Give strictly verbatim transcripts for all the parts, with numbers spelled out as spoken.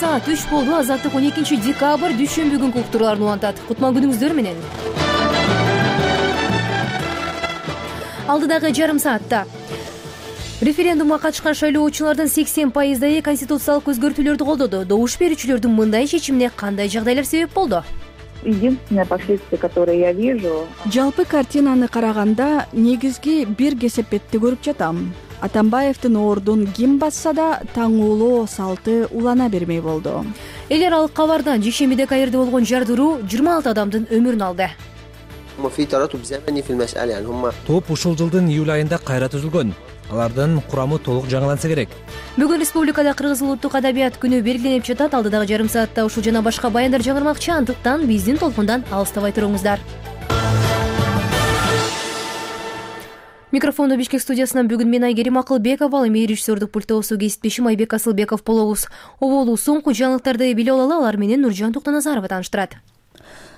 саат үч болду. Азаттык он экинчи декабрь дүйшөмбү күнкү уктурууларын улантат. Кутман күнүңүздөр менен. Алдыдагы жарым саатта референдумга катышкан шайлоочулардын сексен пайыздайы конституциялык өзгөртүүлөрдү колдоду. Добуш берүүчүлөрдүн мындай чечимине кандай жагдайлар себеп болду? Единственное последствие, которое я вижу. Жалпы картинаны караганда негизги бир кесепетти көрүп жатам. Атамбаевдин ордун ким басса да таңуулоо салты улана бермей болду. Эл аралык кабардан жекшембиде Каирде болгон жардыруу жыйырма алты адамдын өмүрүн алды. Топ ушул жылдын июль айында кайра түзүлгөн. Алардын курамы толук жаңыланса керек. Бүгүн республикада Кыргыз улуттук адабият күнү белгиленип жатат. Алдыдагы жарым саатта ушул жана башка баяндар жаңырмакчы, андыктан биздин толкундан алыстабай туруңуздар. Микрофондо Бишкек студиясынан бүгүн мен Айгерим Акылбекова, ал эми режиссердук пультта кесиптешим Айбек Асылбеков болобуз. Оболу соңку жаңылыктарды биле алалы, алар менен Нуржан Токтоназарова тааныштырат.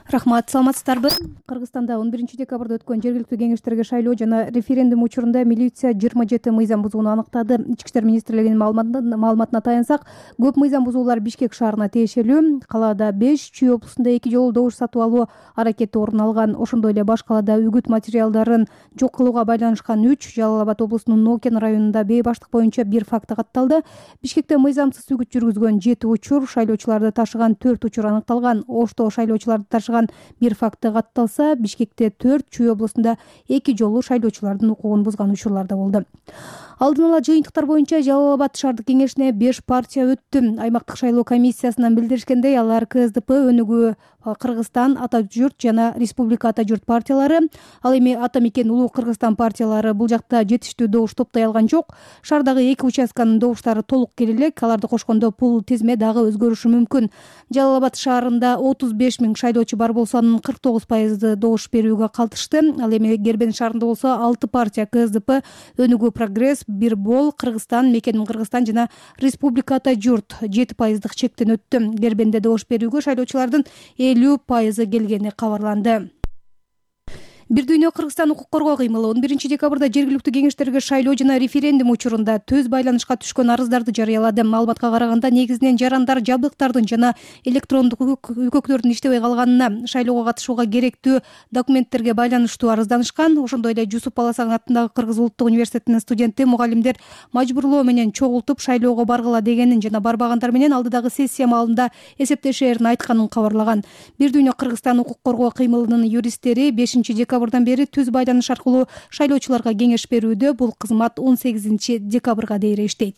Рахмат, саламатсыздарбы? Кыргызстанда он биринчи декабрда өткөн жергиликтүү кеңештерге шайлоо жана референдум учурунда милиция жыйырма жети мыйзам бузууну аныктады. Ички иштер министрлигинин маалыматына таянсак, көп мыйзам бузуулар Бишкек шаарына тиешелүү. Калаада беш, Чүй облусунда эки жолу добуш сатып алуу аракети орун алган. Ошондой эле баш калаада үгүт материалдарын жок кылууга байланышкан үч, Жалал Абад облусунун Нокен районунда бейбаштык боюнча бир факты катталды. Бишкекте мыйзамсыз үгүт жүргүзгөн жети учур, шайлоочуларды ташыган төрт учур аныкталган. Ошто шайлоочуларды ташыган бир факты катталса, Бишкекте төрт, Чүй облусунда эки жолу шайлоочулардын укугун бузган учурлар да болду. Алдын ала жыйынтыктар боюнча Жалал Абад шаардык кеңешине беш партия өттү. Аймактык шайлоо комиссиясынан билдиришкендей, алар КСДП, Өнүгүү Кыргызстан, Ата журт жана Республика Ата журт партиялары. Ал эми Ата мекен Улуу Кыргызстан партиялары бул жакта жетиштүү добуш топтой алган жок. Шаардагы эки участканын добуштары толук кел элек. Аларды кошкондо бул тизме дагы өзгөрүшү мүмкүн. Жалал Абад шаарында отуз беш миң шайлоочу бар болсо, анын кырк тогуз пайызы добуш берүүгө калтышты. Ал эми Гербен шаарында болсо алты партия КСДП, Өнүгүү Прогресс, Бир бол, Кыргызстан, Мекеним Кыргызстан жана Республика Ата журт жети пайыздык чектен өттү. Гербенде добуш берүүгө шайлоочулардын элүү пайызы келгени кабарланды. Бир дүйнө Кыргызстан укук коргоо кыймылы он биринчи декабрда жергиликтүү кеңештерге шайлоо жана референдум учурунда төз байланышка түшкөн арыздарды жарыялады. Маалыматка караганда, негизинен жарандар жабдыктардын жана электрондук үкөктөрдүн иштебей калганына, шайлоого катышууга керектүү документтерге байланыштуу арызданышкан. Ошондой эле Жусуп Баласан атындагы Кыргыз улуттук университетинин студенти мугалимдер мажбурлоо менен чогултуп шайлоого баргыла дегенин жана барбагандар менен алдыдагы сессия маалында эсептешээрин айтканын кабарлаган. Бир дүйнө Кыргызстан укук коргоо кыймылынын юристтери бешинчи декабрдан бери түз байланыш аркылуу шайлоочуларга кеңеш берүүдө. Бул кызмат он сегизинчи декабрга дейре иштейт.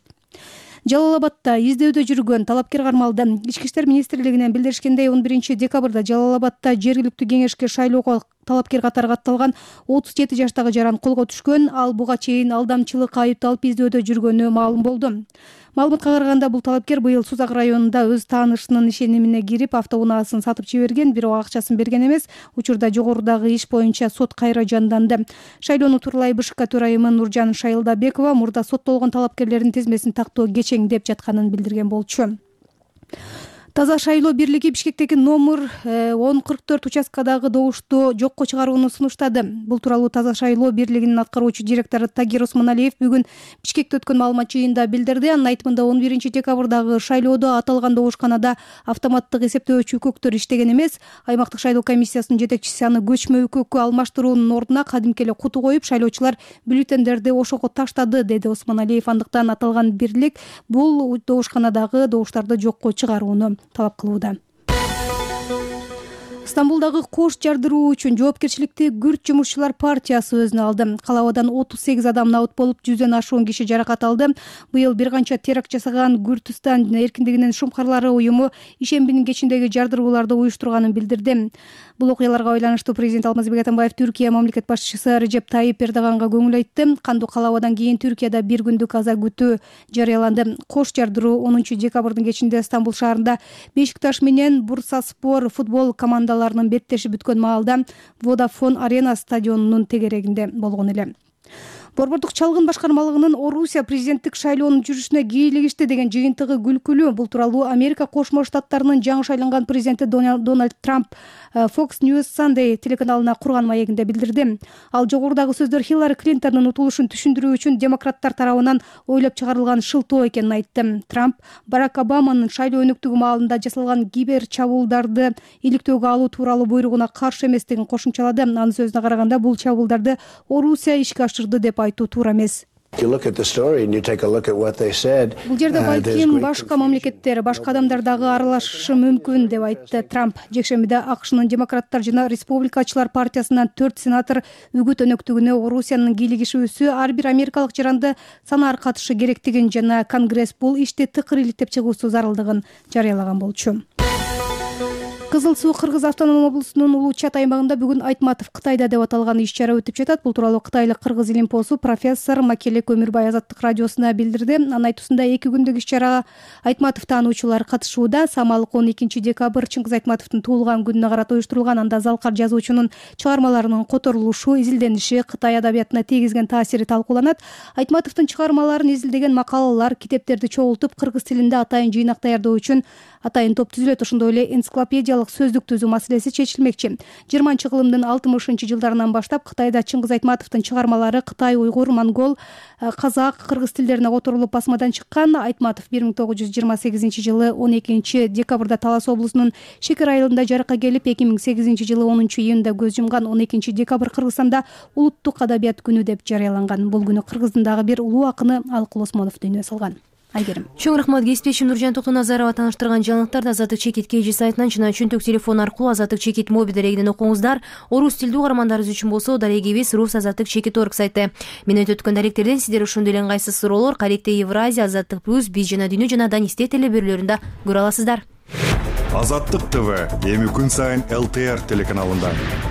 Жалал Абадта издөөдө жүргөн талапкер кармалды. Ички иштер министрлигинен билдиришкендей, он биринчи декабрда Жалал Абадта жергиликтүү кеңешке шайлоого талапкер катары катталган отуз жети жаштагы жаран колго түшкөн. Ал буга чейин алдамчылыкка айыпталып издөөдө жүргөнү маалым болду. Маалыматка караганда, бул талапкер быйыл Сузак районунда өз таанышынын ишенимине кирип, автоунаасын сатып жиберген, бирок акчасын берген эмес. Учурда жогорудагы иш боюнча сот кайра жанданды. Шайлоону тууралай БШК төрайымы Нуржан Шайылдабекова мурда соттолгон талапкерлердин тизмесин тактоо кечеңдеп жатканын билдирген болчу. Таза шайлоо бирлиги Бишкектеги номер он кырк төрт участкадагы добушту жокко чыгарууну сунуштады. Бул тууралуу Таза шайлоо бирлигинин аткаруучу директору Тагир Осмоналиев бүгүн Бишкекте өткөн маалымат жыйынында билдирди. Анын айтымында, он биринчи декабрдагы шайлоодо аталган добушканада автоматтык эсептөөчү үкөктөр иштеген эмес. Аймактык шайлоо комиссиясынын жетекчиси аны көчмө үкөккө алмаштыруунун ордуна кадимки эле куту коюп, шайлоочулар бюллетендерди ошого таштады, деди Осмоналиев. Андыктан аталган бирлик бул добушканадагы добуштарды жокко чыгарууну талап кылууда. Стамбулдагы кош жардыруу үчүн жоопкерчиликти күрт жумушчулар партиясы өзүнө алды. Калабадан отуз сегиз адам набыт болуп, жүздөн ашуун киши жаракат алды. Быйыл бир канча теракт жасаган Күртүстан эркиндигинин шумкарлары уюму ишембинин кечиндеги жардырууларды уюштурганын билдирди. Бул окуяларга байланыштуу президент Алмазбек Атамбаев Түркия мамлекет башчысы Режеп Тайип Эрдоганга көңүл айтты. Кандуу калабадан кийин Түркияда бир күндүк аза күтүү жарыяланды. Кош жардыруу онунчу декабрдын кечинде Стамбул шаарында Бешикташ менен Бурсаспор футбол командаларынын беттешип бүткөн маалда Водафон Арена стадионунун тегерегинде болгон эле. Борбордук чалгын башкармалыгынын Орусия президенттик шайлоонун жүрүшүнө кийлигишти деген жыйынтыгы күлкүлүү. Бул тууралуу Америка Кошмо Штаттарынын жаңы шайланган президенти Дональд Трамп Fox News Sunday телеканалына курган маегинде билдирди. Ал жогорудагы сөздөр Хиллари Клинтондун утулушун түшүндүрүү үчүн демократтар тарабынан ойлоп чыгарылган шылтоо экенин айтты. Трамп Барак Обаманын шайлоо өнүктүгү маалында жасалган кибер чабуулдарды иликтөөгө алуу тууралуу буйругуна каршы эместигин кошумчалады. Анын сөзүнө караганда бул чабуулдарды Орусия ишке ашырды деп айтуу туура эмес. Бул жерде балким башка мамлекеттер, башка адамдар дагы аралашышы мүмкүн деп айтты Трамп. Жекшембиде АКШнын демократтар жана республикачылар партиясынан төрт сенатор үгүт өнөктүгүнө Орусиянын кийлигишүүсү ар бир америкалык жаранды санаар катышы керектигин жана Конгресс бул ишти тыкыр иликтеп чыгуусу зарылдыгын жарыялаган болчу. Кызыл Суу Кыргыз автоном облусунун Улуу Чат аймагында бүгүн Айтматов Кытайда деп аталган иш-чара өтүп жатат. Бул тууралуу кытайлык кыргыз илимпоосу профессор Макеле Көмүрбай Азаттык радиосуна билдирди. Анын айтуусунда эки күндүк иш-чарага Айтматов таануучулар катышууда. Самалык он экинчи декабрь Чыңгыз Айтматовдун туулган күнүнө карата уюштурулган. Анда Залкар жазуучунун чыгармаларынын которулушу, изилдениши, Кытай адабиятына тийгизген таасири талкууланат. Айтматовдун чыгармаларын изилдеген макалалар, китептерди чогултуп кыргыз тилинде атайын жыйнак даярдоо үчүн атайын топ түзүлөт. Ошондой эле энциклопедиялык сөздүк түзүү маселеси чечилмекчи. жыйырманчы кылымдын алтымышынчы жылдарынан баштап Кытайда Чыңгыз Айтматовдун чыгармалары кытай, уйгур, монгол, казак, кыргыз тилдерине которулуп басмадан чыккан. Айтматов бир миң тогуз жүз жыйырма сегизинчи жылы он экинчи декабрда Талас облусунун Шекер айылында жаракка келип, эки миң сегизинчи жылы онунчу июнда көз жумган. он экинчи декабрь Кыргызстанда улуттук адабият күнү деп жарыяланган. Бул күнү Кыргыздын дагы бир улуу акыны Алкул Осмонов дүйнөгө салган. Айгерим. Чоң рахмат. Кесиптешим Нуржан Токтоназарова тааныштырган жаңылыктарды Азаттык чекит кж сайтынан жана чөнтөк телефон аркылуу Азаттык чекит мобил дарегинен окуңуздар. Орус тилдүү угармандарыбыз үчүн болсо дарегибиз рус азаттык чекит точка орг сайты. Мен өтүп өткөн даректерден сиздер ошондой эле ыңгайсыз суроолор Каректе Евразия, Азаттык плюс, Биз жана Дүйнө жана Данисте телебөрүлөрүндө көрө аласыздар. Азаттык ТВ эми күн сайын эл тэ эр телеканалында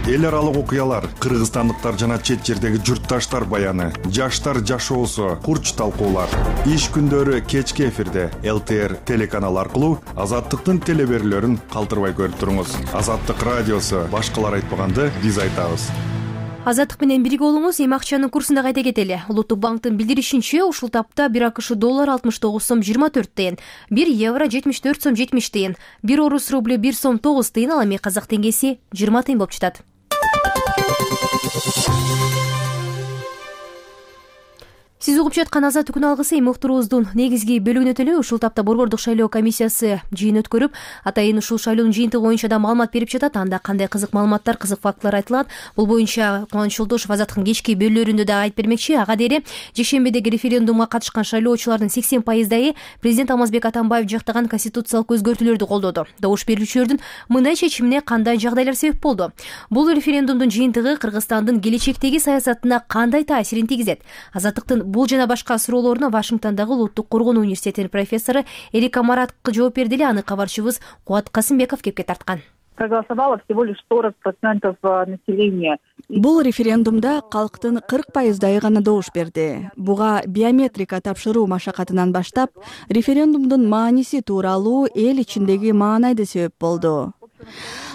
эл аралык окуялар, кыргызстандыктар жана чет жердеги журтташтар баяны, жаштар жашоосу, курч талкуулар. Иш күндөрү кечки эфирде эл тэ эр телеканалы аркылуу Азаттыктын телебөрүлөрүн калтырбай көрүп туруңуз. Азаттык радиосу башкалар айтпаганды биз айтабыз. Азаттык менен бирге болуңуз. Эми акчанын курсунда кайта кетели. Улуттук банктын билдиришинче, ушул тапта бир АКШ доллар алтымыш тогуз сом жыйырма төрт тыйын, бир евро жетимиш төрт сом жетимиш тыйын, бир орус рубль бир сом тогуз тыйын, ал эми казак теңгеси жыйырма тыйын болуп жатат. Сиз угуп жаткан Азаттык күн алгысы эми уктуруубуздун негизги бөлүгүнө өтөлү. Ушул тапта Борбордук шайлоо комиссиясы жыйын өткөрүп, атайын ушул шайлоонун жыйынтыгы боюнча да маалымат берип жатат. Анда кандай кызык маалыматтар, кызык фактылар айтылат. Бул боюнча Кубаныч Жолдошов Азаттыктын кечки бөлүлөрүндө да айтып бермекчи. Ага дере жекшембидеги референдумга катышкан шайлоочулардын сексен пайыздайы президент Алмазбек Атамбаев жактаган конституциялык өзгөртүүлөрдү колдоду. Добуш берүүчүлөрдүн мындай чечимине кандай жагдайлар себеп болду? Бул референдумдун жыйынтыгы Кыргызстандын келечектеги саясатына кандай таасирин тийгизет? Азаттыктын бул жана башка суроолоруна Вашингтондогу Улуттук коргонуу университетинин профессору Эрика Маратка жооп берди эле. Аны кабарчыбыз Кубат Касымбеков кепке тарткан. Проголосовало всего лишь сорок процентов населения. Бул референдумда калктын кырк пайыздайы гана добуш берди. Буга биометрика тапшыруу машакатынан баштап референдумдун мааниси тууралуу эл ичиндеги маанайды себеп болду.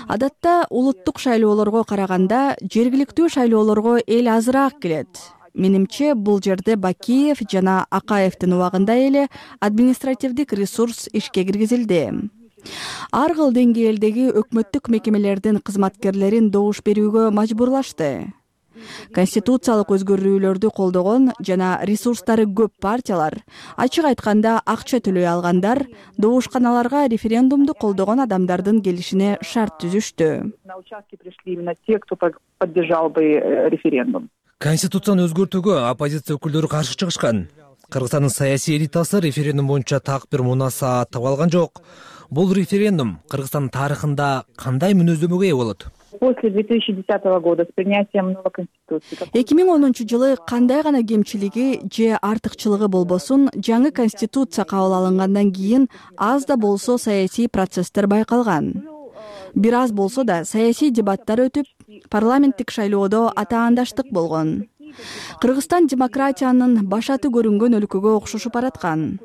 Адатта улуттук шайлоолорго караганда жергиликтүү шайлоолорго эл азыраак келет. Менимче бул жерде Бакиев жана Акаевдин убагында эле административдик ресурс ишке киргизилди. Ар кыл деңгээлдеги өкмөттүк мекемелердин кызматкерлерин добуш берүүгө мажбурлашты. Конституциялык өзгөрүүлөрдү колдогон жана ресурстары көп партиялар, ачык айтканда акча төлөй алгандар, добушканаларга референдумду колдогон адамдардын келишине шарт түзүштү. На участки пришли именно те, кто поддержал бы референдум. Конституцияны өзгөртүүгө оппозиция өкүлдөрү каршы чыгышкан. Кыргызстандын саясий элитасы референдум боюнча так бир мунаса таба алган жок. Бул референдум Кыргызстандын тарыхында кандай мүнөздөмөгө ээ болот? После две тысячи десятого года с принятием новой конституции. эки миң онунчу жылы кандай гана кемчилиги же артыкчылыгы болбосун, жаңы конституция кабыл алынгандан кийин аз да болсо саясий процесстер байкалган. Бир аз болсо да саясий дебаттар өтүп, парламенттик шайлоодо атаандаштык болгон. Кыргызстан демократиянын башаты көрүнгөн өлкөгө окшошуп бараткан.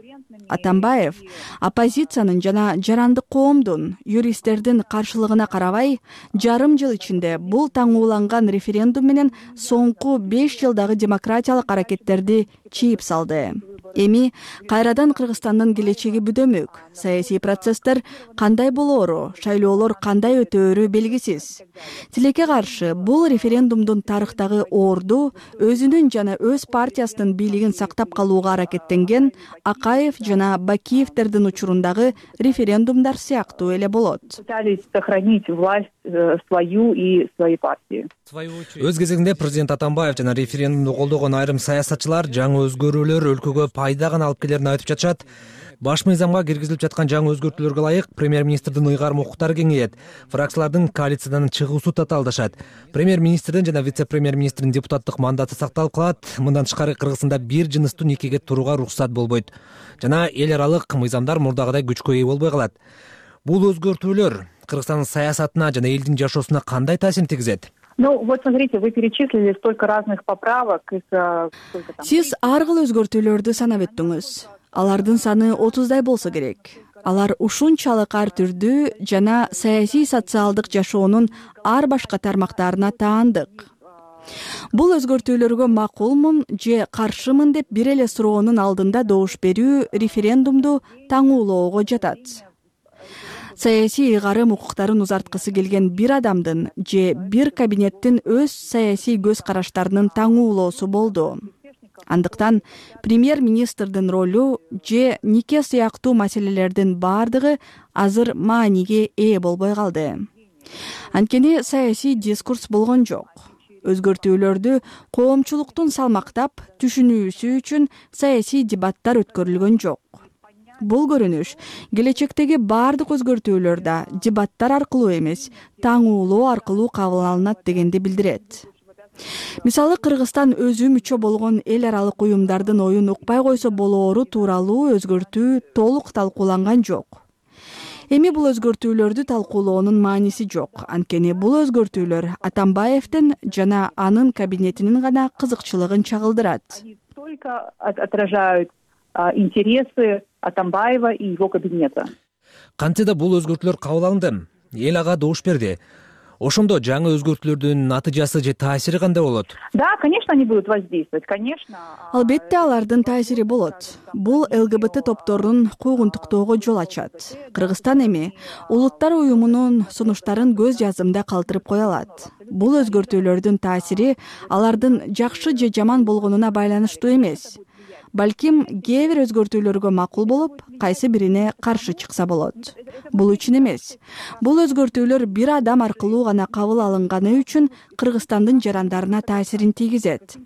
Атамбаев оппозициянын жана жарандык коомдун, юристтердин каршылыгына карабай, жарым жыл ичинде бул таңууланган референдум менен соңку беш жылдагы демократиялык аракеттерди чийип салды. Эми кайрадан Кыргызстандын келечеги бүдөмүк. Саясий процесстер кандай болоору, шайлоолор кандай өтөөрү белгисиз. Тилекке каршы бул референдумдун тарыхтагы орду өзүнүн жана өз партиясынын бийлигин сактап калууга аракеттенген Акаев жана Бакиевтердин учурундагы референдумдар сыяктуу эле болот. Пытались сохранить власть свою и своей партии. Өз кезегинде президент Атамбаев жана референдумду колдогон айрым саясатчылар жаңы өзгөрүүлөр өлкөгө пайда гана алып келерин айтып жатышат. Баш мыйзамга киргизилип жаткан жаңы өзгөртүүлөргө ылайык премьер-министрдин ыйгарым укуктары кеңейет. Фракциялардын коалициядан чыгуусу татаалдашат. Премьер-министрдин жана вице-премьер-министрдин депутаттык мандаты сакталып калат. Мындан тышкары Кыргызстанда бир жыныстуу никеге турууга уруксат болбойт. Жана эл аралык мыйзамдар мурдагыдай күчкө ээ болбой калат. Бул өзгөртүүлөр Кыргызстандын саясатына жана элдин жашоосуна кандай таасирин тийгизет? Ну, вот смотрите, вы перечислили столько разных поправок. Сиз ар кыл өзгөртүүлөрдү санап өттүңүз. Алардын саны отуздай болсо керек. Алар ушунчалык ар түрдүү жана саясий социалдык жашоонун ар башка тармактарына таандык. Бул өзгөртүүлөргө макулмун же каршымын деп бир эле суроонун алдында добуш берүү референдумду таңуулоого жатат. Саясий ыйгарым укуктарын узарткысы келген бир адамдын же бир кабинеттин өз саясий көз караштарынын таңуулоосу болду. Андыктан премьер-министрдин ролу же нике сыяктуу маселелердин бардыгы азыр мааниге ээ болбой калды. Анткени саясий дискурс болгон жок. Өзгөртүүлөрдү коомчулуктун салмактап түшүнүүсү үчүн саясий дебаттар өткөрүлгөн жок. Бул көрүнүш келечектеги бардык өзгөртүүлөр да дебаттар аркылуу эмес, таңуулоо аркылуу кабыл алынат дегенди билдирет. Мисалы, Кыргызстан өзү мүчө болгон эл аралык уюмдардын оюн укпай койсо болоору тууралуу өзгөртүү толук талкууланган жок. Эми бул өзгөртүүлөрдү талкуулоонун мааниси жок. Анткени бул өзгөртүүлөр Атамбаевдин жана анын кабинетинин гана кызыкчылыгын чагылдырат. Только отражают интересы Атамбаева и его кабинета. Кантсе да бул өзгөртүүлөр кабыл алынды. Эл ага добуш берди. Ошондо жаңы өзгөртүүлөрдүн натыйжасы же таасири кандай болот? Да, конечно, они будут воздействовать, конечно. Албетте алардын таасири болот. Бул ЛГБТ топторун куугунтуктоого жол ачат. Кыргызстан эми улуттар уюмунун сунуштарын көз жазымда калтырып кое алат. Бул өзгөртүүлөрдүн таасири алардын жакшы же жаман болгонуна байланыштуу эмес. Балким кээ бир өзгөртүүлөргө макул болуп, кайсы бирине каршы чыкса болот. Бул үчүн эмес. Бул өзгөртүүлөр бир адам аркылуу гана кабыл алынганы үчүн Кыргызстандын жарандарына таасирин тийгизет.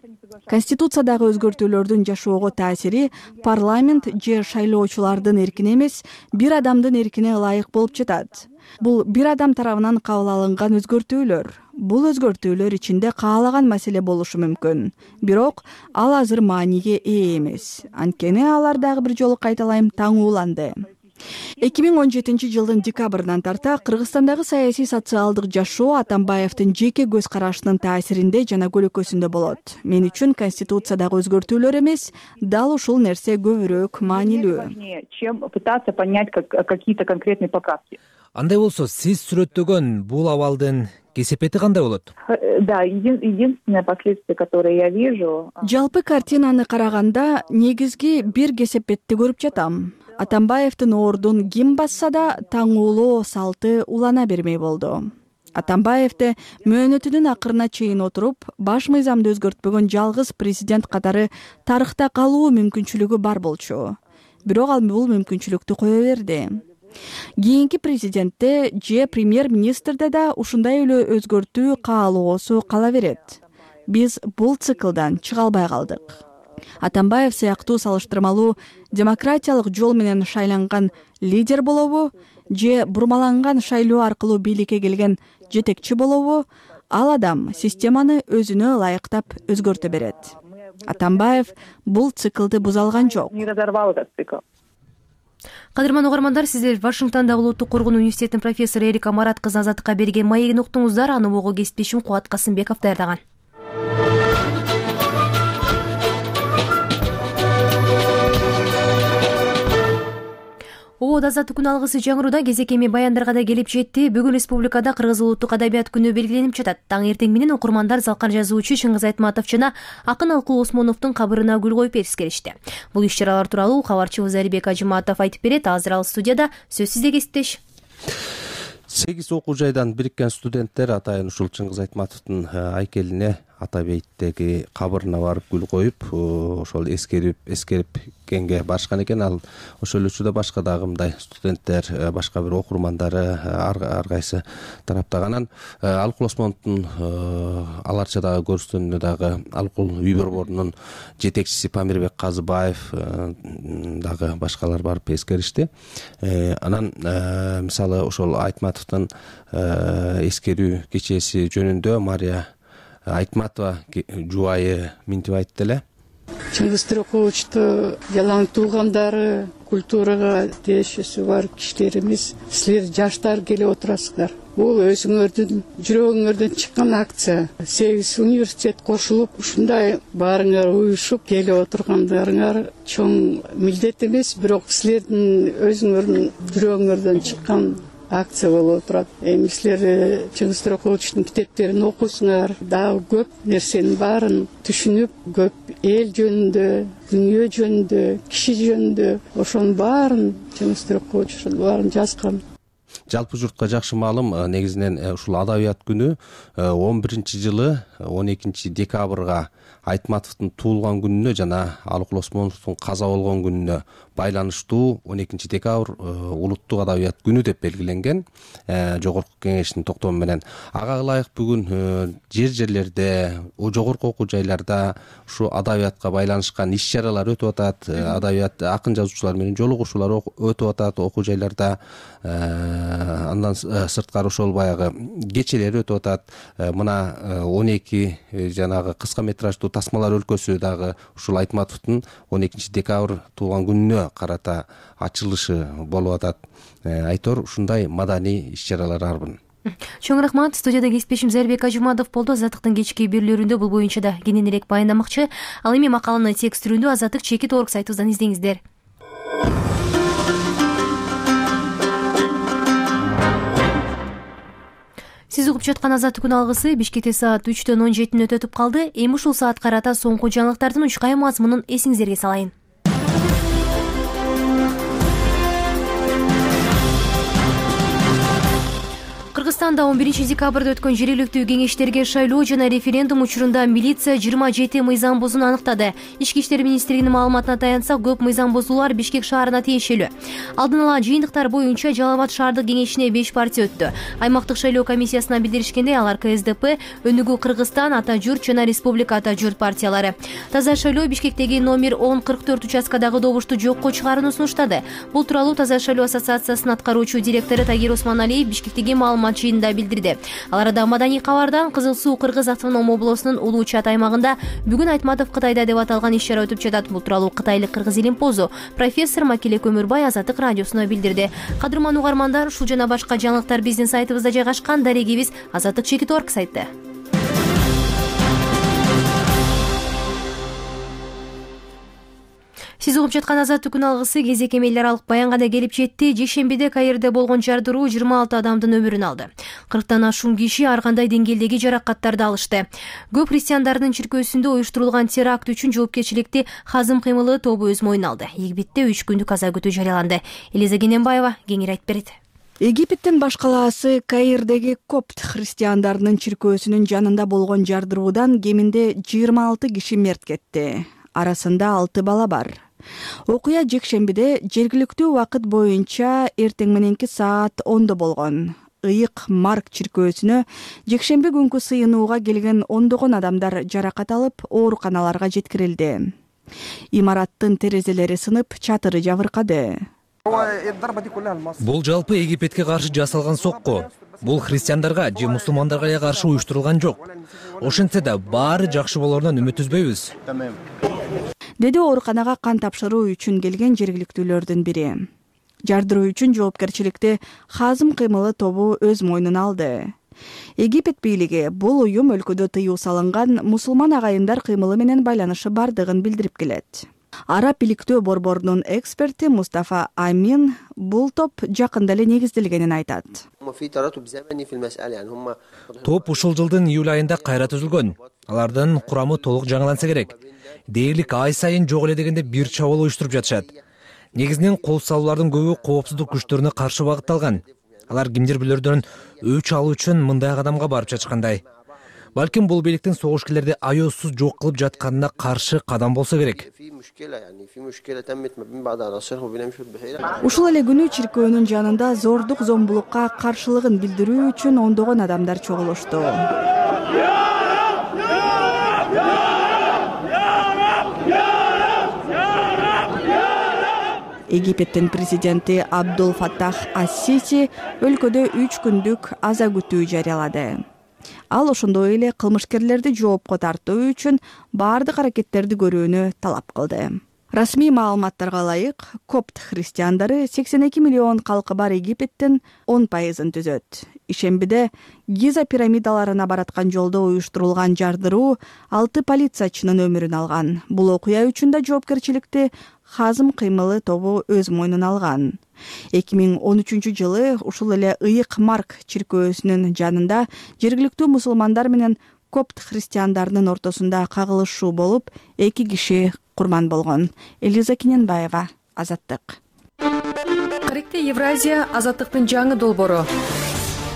Конституциядагы өзгөртүүлөрдүн жашоого таасири парламент же шайлоочулардын эркине эмес, бир адамдын эркине ылайык болуп жатат. Бул бир адам тарабынан кабыл алынган өзгөртүүлөр. Бул өзгөртүүлөр ичинде каалаган маселе болушу мүмкүн. Бирок ал азыр мааниге ээ эмес. Анткени алар дагы бир жолу кайталайм таңууланды. эки миң он жетинчи жылдын декабрынан тарта Кыргызстандагы саясий социалдык жашоо Атамбаевдин жеке көз карашынын таасиринде жана көлөкөсүндө болот. Мен үчүн конституциядагы өзгөртүүлөр эмес, дал ушул нерсе көбүрөөк маанилүү. Чем пытаться понять какие-то конкретные поправки. Андай болсо, сиз сүрөттөгөн бул абалдын кесепети кандай болот? Да, единственное последствие, которое я вижу. Жалпы картинаны караганда негизги бир кесепетти көрүп жатам. Атамбаевдин ордун ким басса да таңуулоо салты улана бермей болду. Атамбаевде мөөнөтүнүн акырына чейин отуруп, баш мыйзамды өзгөртпөгөн жалгыз президент катары тарыхта калуу мүмкүнчүлүгү бар болчу. Бирок ал бул мүмкүнчүлүктү кое берди. Кийинки президентте же премьер-министрде да ушундай эле өзгөртүү каалоосу кала берет. Биз бул циклдан чыга албай калдык. Атамбаев сыяктуу салыштырмалуу демократиялык жол менен шайланган лидер болобу же бурмаланган шайлоо аркылуу бийликке келген жетекчи болобу, ал адам системаны өзүнө ылайыктап өзгөртө берет. Атамбаев бул циклды буза алган жок. Не разорвал этот цикл. Кадырман угармандар, сиздер Вашингтондагы Улуттук Коргонуу университетинин профессору Эрика Марат кызы Азаттыкка берген маегин уктуңуздар. Аны ого кесиптешим Кубат Касымбеков даярдаган. свобода азаттык күнү алгысы жаңыруда кезек эми баяндарга да келип жетти. Бүгүн республикада Кыргыз улуттук адабият күнү белгиленип жатат. Таң эртең менен окурмандар залкар жазуучу Чыңгыз Айтматов жана акын Алкул Осмоновдун кабырына гүл коюп эскеришти. Бул иш-чаралар тууралуу кабарчыбыз Алибек Ажыматов айтып берет. Азыр ал студияда. Сөз сизде, кесиптеш. сегиз окуу жайдан бириккен студенттер атайын ушул Чыңгыз Айтматовдун айкелине Ата бейиттеги кабырына барып гүл коюп, ошол эскерип эскерипкенге барышкан экен. Ал ошол учурда башка дагы мындай студенттер, башка бир окурмандары ар кайсы тараптаган. Алкул Осмоновдун аларчадагы көрүстөнүнө дагы Алкул үй борборунун жетекчиси Памирбек Казыбаев дагы башкалар барып эскеришти. Анан мисалы ошол Айтматовдун эскерүү кечеси жөнүндө Мария Айтматова жубайы минтип айтты эле. Чыңгыз Тыраковичти жалаң туугандары, культурага тиешеси бар кишилерибиз, силер жаштар келип отурасыздар. Бул өзүңөрдүн жүрөгүңөрдөн чыккан акция. сегиз университет кошулуп, ушундай баарыңар уюшуп келип отургандарыңар чоң милдет эмес, бирок силердин өзүңөрдүн жүрөгүңөрдөн чыккан акция болуп турат. Эми силер Чыңгыз Тыраковичтин китептерин окусуңар, дагы көп нерсенин баарын түшүнүп, көп эл жөнүндө, дүйнө жөнүндө, киши жөнүндө ошонун баарын Чыңгыз Тыракович баарын жазган. Жалпы журтка жакшы маалым, негизинен ушул адабият күнү он биринчи жылы он экинчи декабрга Айтматовдун туулган күнүнө жана Алкул Осмоновдун каза болгон күнүнө байланыштуу он экинчи декабрь улуттук адабият күнү деп белгиленген жогорку кеңештин токтому менен. Ага ылайык бүгүн жер жерлерде, жогорку окуу жайларда ушу адабиятка байланышкан иш-чаралар өтүп атат. Адабият акын жазуучулар менен жолугушуулар өтүп атат окуу жайларда. Андан сырткары ошол баягы кечелер өтүп атат. Мына он эки жанагы кыска метраждуу тасмалар өлкөсү дагы ушул Айтматовдун он экинчи декабрь туулган күнүнө карата ачылышы болуп атат. Айтор ушундай маданий иш-чаралар арбын. Чоң рахмат. Студияда кесиптешим Алибек Ажыматов болду. Азаттыктын кечки берүүлөрүндө бул боюнча да кененирээк баяндамакчы. Ал эми макаланы текст түрүндө Азаттык чекит орг сайтыбыздан издеңиздер. Сиз угуп жаткан Азаттык күн алгысы Бишкекте саат үчтөн он жети мүнөт өтүп калды. Эми ушул саат карата соңку жаңылыктардын учкай мазмунун эсиңиздерге салайын. Кыргызстанда он биринчи декабрда өткөн жергиликтүү кеңештерге шайлоо жана референдум учурунда милиция жыйырма жети мыйзам бузууну аныктады. Ички иштер министрлигинин маалыматына таянсак, көп мыйзам бузуулар Бишкек шаарына тиешелүү. Алдын ала жыйынтыктар боюнча Жалал Абад шаардык кеңешине беш партия өттү. Аймактык шайлоо комиссиясына билдиришкендей, алар Ка Эс Д П, Өнүгүү Кыргызстан, Ата журт жана Республика Ата журт партиялары. Таза шайлоо Бишкектеги номер он кырк төрт участкадагы добушту жокко чыгарууну сунуштады. Бул тууралуу Таза шайлоо ассоциациясынын аткаруучу директору Тагир Осмоналиев Бишкектеги маалымат жыйынында билдирди. Ал арада маданий кабардан Кызыл Суу Кыргыз автоном облусунун Улуу Чат аймагында бүгүн Айтматов Кытайда деп аталган иш-чара өтүп жатат. Бул тууралуу кытайлык Кыргыз Илимпозу профессор Макеле Көмүрбай Азаттык радиосуна билдирди. Кадырман угармандар, ушул жана башка жаңылыктар биздин сайтыбызда жайгашкан. Дарегибиз азаттык чекит точка орг сайты. Сиз угуп жаткан Азаттык күн алгысы кезек эми эл аралык баянга да келип жетти. Жекшембиде Каирде болгон жардыруу жыйырма алты адамдын өмүрүн алды. кырктан ашуун киши ар кандай деңгээлдеги жаракаттарды алышты. Көп христиандардын чиркөөсүндө уюштурулган теракт үчүн жоопкерчиликти Хазым кыймылы тобу өз мойнуна алды. Египетте үч күндүк каза күтүү жарыяланды. Элиза Кененбаева кеңири айтып берет. Египеттин баш калаасы Каирдеги копт христиандарынын чиркөөсүнүн жанында болгон жардыруудан кеминде жыйырма алты киши мерт кетти. Арасында алты бала бар. Окуя жекшембиде жергиликтүү убакыт боюнча эртең мененки саат ондо болгон. Ыйык Марк чиркөөсүнө жекшемби күнкү сыйынууга келген ондогон адамдар жаракат алып, ооруканаларга жеткирилди. Имараттын терезелери сынып, чатыры жабыркады. Бул жалпы Египетке каршы жасалган сокку. Бул христиандарга же мусулмандарга эле каршы уюштурулган жок. Ошентсе да баары жакшы болоруна үмүт үзбөйбүз, деди ооруканага кан тапшыруу үчүн келген жергиликтүүлөрдүн бири. Жардыруу үчүн жоопкерчиликти Хазым кыймылы тобу өз мойнуна алды. Египет бийлиги бул уюм өлкөдө тыюу салынган мусулман агайындар кыймылы менен байланышы бардыгын билдирип келет. Араб иликтөө борборунун эксперти Мустафа Амин бул топ жакында эле негизделгенин айтат. Топ ушул жылдын июль айында кайра түзүлгөн. Алардын курамы толук жаңыланса керек. Дээрлик ай сайын жок эле дегенде бир чабуул уюштуруп жатышат. Негизинен кол салуулардын көбү коопсуздук күчтөрүнө каршы багытталган. Алар кимдир билөрдөн өч алуу үчүн мындай кадамга барып жатышкандай. Балким бул бийликтин согушкерлерди аеосуз жок кылып жатканына каршы кадам болсо керек. Ушул эле күнү чиркөөнүн жанында зордук зомбулукка каршылыгын билдирүү үчүн ондогон адамдар чогулушту. Египеттин президенти Абдул Фаттах ас-Сиси өлкөдө үч күндүк аза күтүү жарыялады. Ал ошондой эле кылмышкерлерди жоопко тартуу үчүн баардык аракеттерди көрүүнү талап кылды. Расмий маалыматтарга ылайык, копт христиандары сексен эки миллион калкы бар Египеттин он пайызын түзөт. Ишембиде Гиза пирамидаларына бараткан жолдо уюштурулган жардыруу алты полициячынын өмүрүн алган. Бул окуя үчүн да жоопкерчиликти Хазым кыймылы тобу өз мойнуна алган. эки миң он үчүнчү жылы ушул эле Ыйык Марк чиркөөсүнүн жанында жергиликтүү мусулмандар менен копт христиандарынын ортосунда кагылышуу болуп, эки киши курман болгон. Элиза Кененбаева, Азаттык. Каректе Евразия азаттыктын жаңы долбоору.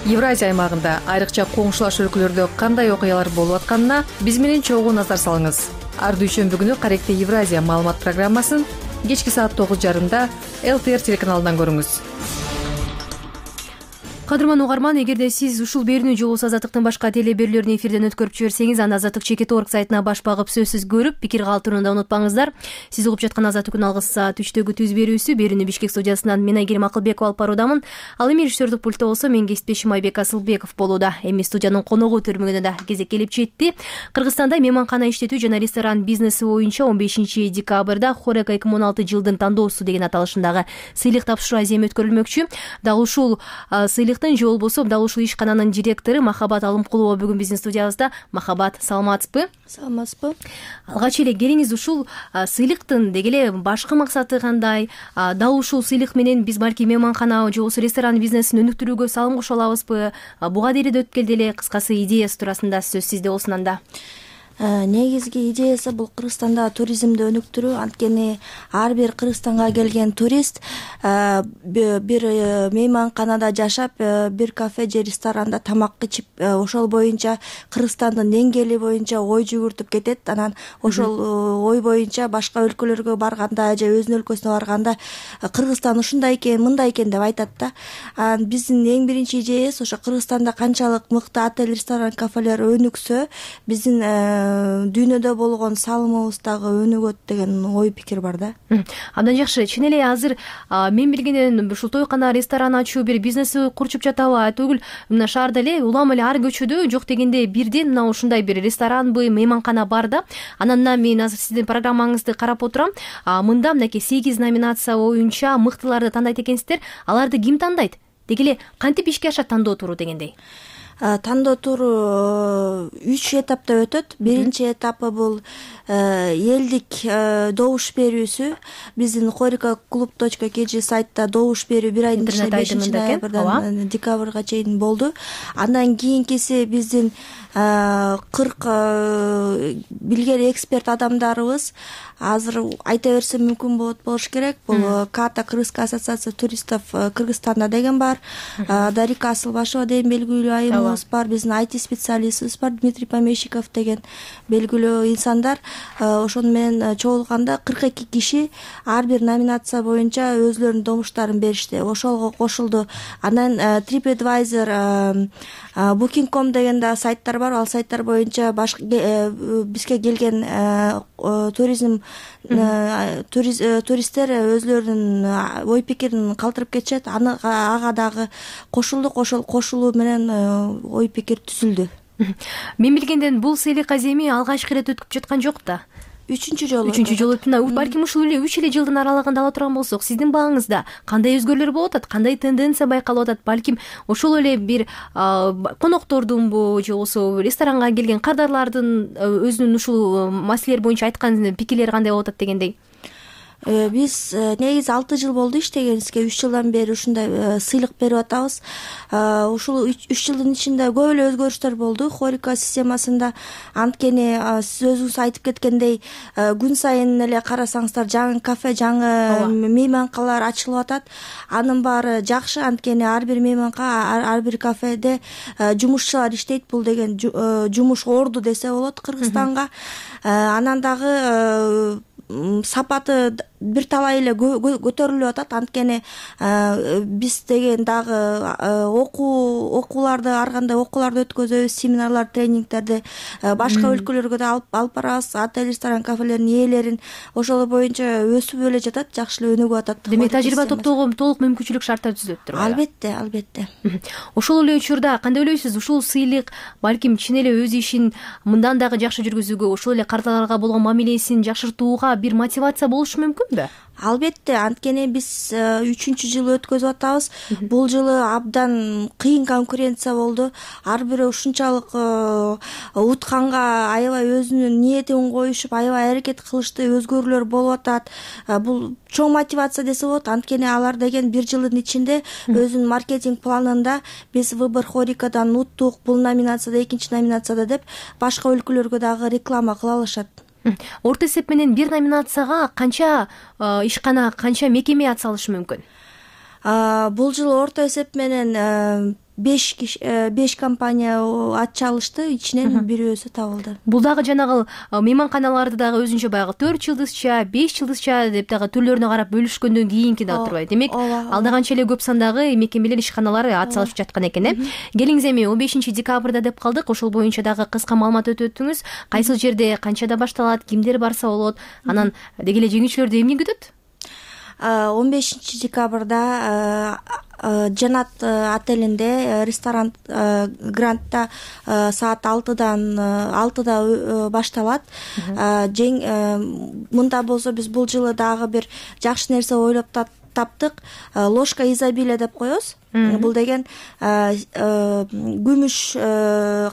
Евразия аймагында айрыкча коңшулаш өлкөлөрдө кандай окуялар болуп атканына биз менен чогуу назар салыңыз. Ар дүйшөмбү күнү Каректе Евразия маалымат программасын кечки саат тогуз жарымда эл тэ эр телеканалынан көрүңүз. Кадырман угарман, эгерде сиз ушул берүүнү же болбосо Азаттыктын башка теле берүүлөрүн эфирден өткөрүп жиберсеңиз, анда Азаттык чекит точка орг сайтына баш багып сөзсүз көрүп, пикир калтырууну да унутпаңыздар. Сиз угуп жаткан Азаттык күн алгыс саат үчтөгү түз берүүсү. Берүүнү Бишкек студиясынан мен Айгерим Акылбекова алып баруудамын. Ал эми режиссердик пультта болсо мен кесиптешим Айбек Асылбеков болууда. Эми студиянын коногу төрмөгүнө да кезек келип жетти. Кыргызстанда мейманкана иштетүү жана ресторан бизнеси боюнча он бешинчи декабрда Хорека эки миң он алты жылдын тандоосу деген аталышындагы сыйлык тапшыруу аземи өткөрүлмөкчү. Дал ушул сыйлыктын же болбосо дал ушул ишкананын директору Махабат Алымкулова бүгүн биздин студиябызда. Махабат, саламатсызбы? Саламатсызбы. Алгач эле келиңиз, ушул сыйлыктын деги эле башкы максаты кандай? Дал ушул сыйлык менен биз балки мейманкана же болбосо ресторан бизнесин өнүктүрүүгө салым кошо алабызбы? Буга дейин өтүп келди эле кыскасы идеясы туурасында сөз сизде болсун анда. Негизги идеясы бул Кыргызстанда туризмди өнүктүрүү. Анткени ар бир Кыргызстанга келген турист бир мейманканада жашап, бир кафе же ресторанда тамак ичип, ошол боюнча Кыргызстандын деңгээли боюнча ой жүгүртүп кетет. Анан ошол ой боюнча башка өлкөлөргө барганда же өзүнүн өлкөсүнө барганда Кыргызстан ушундай экен, мындай экен деп айтат да. Биздин эң биринчи идеябыз ошо Кыргызстанда канчалык мыкты отель, ресторан, кафелер өнүксө, биздин дүйнөдө болгон салымыбыз дагы өнүгөт деген ой пикир бар да. Абдан жакшы. Чын эле азыр мен билгенден ушул тойкана, ресторан ачуу бир бизнеси курчуп жатабы? Түгүл, мына шаарда эле улам эле ар көчөдө жок дегенде бирден мына ушундай бир ресторанбы, мейманкана бар да. Анан мен азыр сиздин программаңызды карап отурам. Мында мынакей сегиз номинация боюнча мыктыларды тандайт экенсиздер. Аларды ким тандайт? Деги эле кантип ишке ашат тандоо туру дегендей? Тандоо туру үч этапта өтөт. Биринчи этапы бул элдик добуш берүүсү. Биздин хорика клуб точка кей жи сайтта добуш берүү бир айдын ичинде бешинчи ноябрдан декабрга чейин болду. Андан кийинкиси биздин кырк билгери эксперт адамдарыбыз азыр айта берсем мүмкүн болот болуш керек. Бул Ката Кыргызская ассоциация туристов Кыргызстанда деген бар. Дарика Асылбашева деген белгилүү айымыбыз бар. Биздин ай ти специалистибиз бар, Дмитрий Помещиков деген белгилүү инсандар. Ошону менен чогулганда кырк эки киши ар бир номинация боюнча өзлөрүнүн добуштарын беришти. Ошого кошулду. Анан TripAdvisor, Booking точка ком деген да сайттар бар. Ал сайттар боюнча бизге келген туризм туристтер өзлөрүнүн ой пикирин калтырып кетишет. Ага дагы кошулдук. Ошол кошулуу менен ой пикир түзүлдү. Мен билгенден бул сыйлык аземи алгачкы ирет өтүп жаткан жок да. Үчүнчү жолу. Үчүнчү жолу өтүп, балким ушул эле үч эле жылдын аралыгында ала турган болсок, сиздин бааңызда кандай өзгөрүүлөр болуп атат, кандай тенденция байкалып атат? Балким ошол эле бир коноктордунбу же болбосо ресторанга келген кардарлардын өзүнүн ушул маселелер боюнча айткан пикирлери кандай болуп атат дегендей? биз негизи алты жыл болду иштегенибизге. Үч жылдан бери ушундай сыйлык берип атабыз. Ушул үч жылдын ичинде көп эле өзгөрүштөр болду хорика системасында. Анткени сиз өзүңүз айтып кеткендей, күн сайын эле карасаңыздар жаңы кафе, жаңы мейманкалар ачылып атат. Анын баары жакшы, анткени ар бир мейманка, ар бир кафеде жумушчулар иштейт. Бул деген жумуш орду десе болот Кыргызстанга. Анан дагы сапаты бир талай эле көтөрүлүп атат. Анткени биз деген дагы окуу окууларды ар кандай окууларды өткөзөбүз, семинарлар, тренингтерди башка өлкөлөргө да алып барабыз. Отель, ресторан, кафелердин ээлерин ошол боюнча өсүп эле жатат, жакшы эле өнүгүп атат. Демек тажрыйба топтоого толук мүмкүнчүлүк шарттар түзүлүп турбайбы? Албетте, албетте. Ошол эле учурда кандай ойлойсуз, ушул сыйлык балким чын эле өз ишин мындан дагы жакшы жүргүзүүгө, ошол эле кардарларга болгон мамилесин жакшыртууга бир мотивация болушу мүмкүнбү? Албетте, анткени биз үчүнчү жыл өткөзүп атабыз. Бул жылы абдан кыйын конкуренция болду. Ар бири ушунчалык утканга аябай өзүнүн ниетин коюшуп, аябай аракет кылышты, өзгөрүүлөр болуп атат. Бул чоң мотивация десе болот. Анткени алар деген бир жылдын ичинде өзүнүн маркетинг планында биз Выбор хорикадан уттук, бул номинацияда, экинчи номинацияда деп башка өлкөлөргө дагы реклама кыла алышат. Орто эсеп менен бир номинацияга канча ишкана, канча мекеме ат салышы мүмкүн? Бул жылы орто эсеп менен беш беш компания ат чалышты, ичинен бирөөсү табылды. Бул дагы жанагы мейманканаларды дагы өзүнчө баягы төрт жылдызча, беш жылдызча деп дагы түрлөрүнө карап бөлүшкөндөн кийинки дагы турбайбы. Демек, алда канча эле көп сандагы мекемелер, ишканалар ат салышып жаткан экен, э? Келиңиз, эми он бешинчи декабрда деп калдык. Ошол боюнча дагы кыска маалымат өтөттүңүз. Кайсыл жерде, канчада башталат, кимдер барса болот? Анан деги эле жеңүүчүлөрдү эмне күтөт? он бешинчи декабрда Жанат отелинде ресторан Грандта саат алтыдан алтыда башталат. Мында болсо биз бул жылы дагы бир жакшы нерсе ойлоп таптык. Ложка изобилия деп коебуз. Бул деген күмүш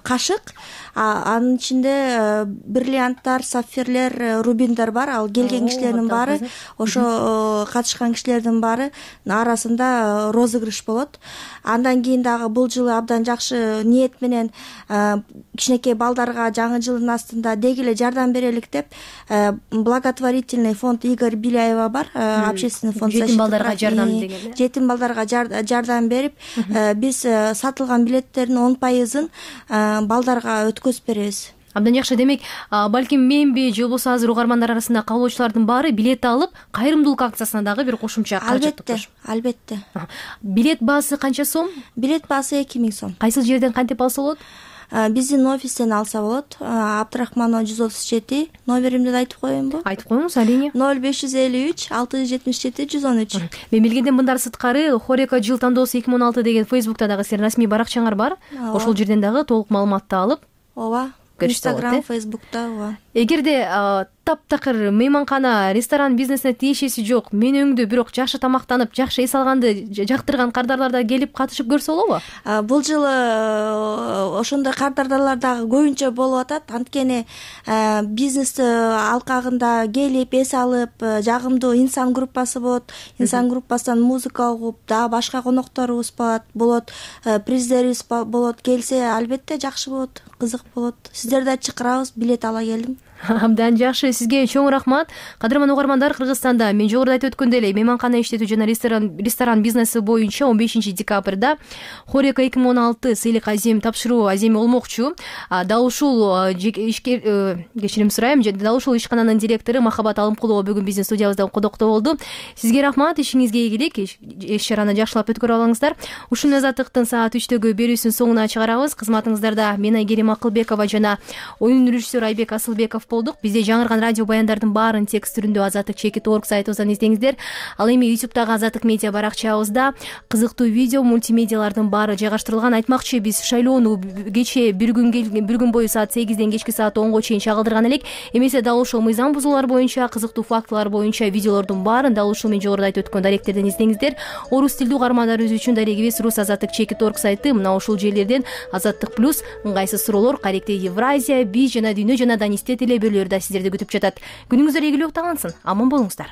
кашык. Анын ичинде бриллианттар, сапфирлер, рубиндер бар. Ал келген кишилердин баары, ошо катышкан кишилердин баары арасында розыгрыш болот. Андан кийин дагы бул жылы абдан жакшы ниет менен кичинекей балдарга жаңы жылдын астында деги эле жардам берелик деп благотворительный фонд Игорь Беляева бар, общественный фонд жетим балдарга жардам деген. Жетим балдарга жардам берип, биз сатылган билеттердин он пайызын балдарга өткөзүп беребиз. Абдан жакшы. Демек, балким менби же болбосо азыр угармандар арасында кабылуучулардын баары билет алып, кайрымдуулук акциясына дагы бир кошумча каражат топтош. Албетте, албетте. Билет баасы канча сом? Билет баасы эки миң сом. Кайсыл жерден кантип алса болот? Биздин офистен алса болот. Абдрахманова жүз отуз жети. Номеримди да айтып коеюнбу? Айтып коюңуз, алине. ноль беш жүз элүү үч алты жүз жетимиш жети жүз он үч. Мен билгенден мындан сырткары хорика жыл тандоосу эки миң он алты деген Facebook'та дагы сиздердин расмий баракчаңар бар. Ошол жерден дагы толук маалыматты алып, ооба, Instagram, Facebook'та, ооба. Эгерде таптакыр мейманкана, ресторан бизнесине тиешеси жок, менүүңдү бирок жакшы тамактанып, жакшы эс алганды жактырган кардарлар да келип катышып көрсө болобу? Бул жылы ошондой кардарлар дагы көбүнчө болуп атат. Анткени бизнес алкагында келип эс алып, жагымдуу инсан группасы болот. Инсан группасынан музыка угуп, дагы башка конокторубуз болот, приздерибиз болот. Келсе, албетте жакшы болот, кызык болот. Сиздерди да чакырабыз, билет ала келдим. Абдан жакшы, сизге чоң рахмат. Кадырман угармандар, Кыргызстанда мен жогоруда айтып өткөндөй эле мейманкана иштетүү жана ресторан ресторан бизнеси боюнча он бешинчи декабрда хорика эки миң он алты сыйлык азем тапшыруу аземи болмокчу. Дал ушул ишкер кечирим сурайм, дал ушул ишкананын директору Махабат Алымкулова бүгүн биздин студиябызда кодокто болду. Сизге рахмат, ишиңизге ийгилик, иш чараны жакшылап өткөрүп алыңыздар. Ушул азаттыктын саат үчтөгү берүүсүн соңуна чыгарабыз. Кызматыңыздарда мен Айгерим Акылбекова жана оюн режиссер Айбек Асылбеков болдук. Бизде жаңырган радио баяндардын баарын текст түрүндө азаттык чекит орг сайтыбыздан издеңиздер. Ал эми ютубтагы азаттык медиа баракчабызда кызыктуу видео, мультимедиалардын баары жайгаштырылган. Айтмакчы, биз шайлоону кечээ бир күн бир күн бою саат сегизден кечки саат онго чейин чагылдырган элек. Эмесе дал ушул мыйзам бузуулар боюнча, кызыктуу фактылар боюнча видеолордун баарын дал ушул мен жогоруда айтып өткөн даректерден издеңиздер. Орус тилдүү угармандарыбыз үчүн дарегибиз рус азаттык чекит орг сайты. Мына ушул жерлерден азаттык плюс, ыңгайсыз суроолор, каректи Евразия, биз жана дүйнө жана Данистет эле бөлөлөрдө сиздерди күтүп жатат. Күнүңүздөр ийгиликтүү окталансын. Аман болуңуздар.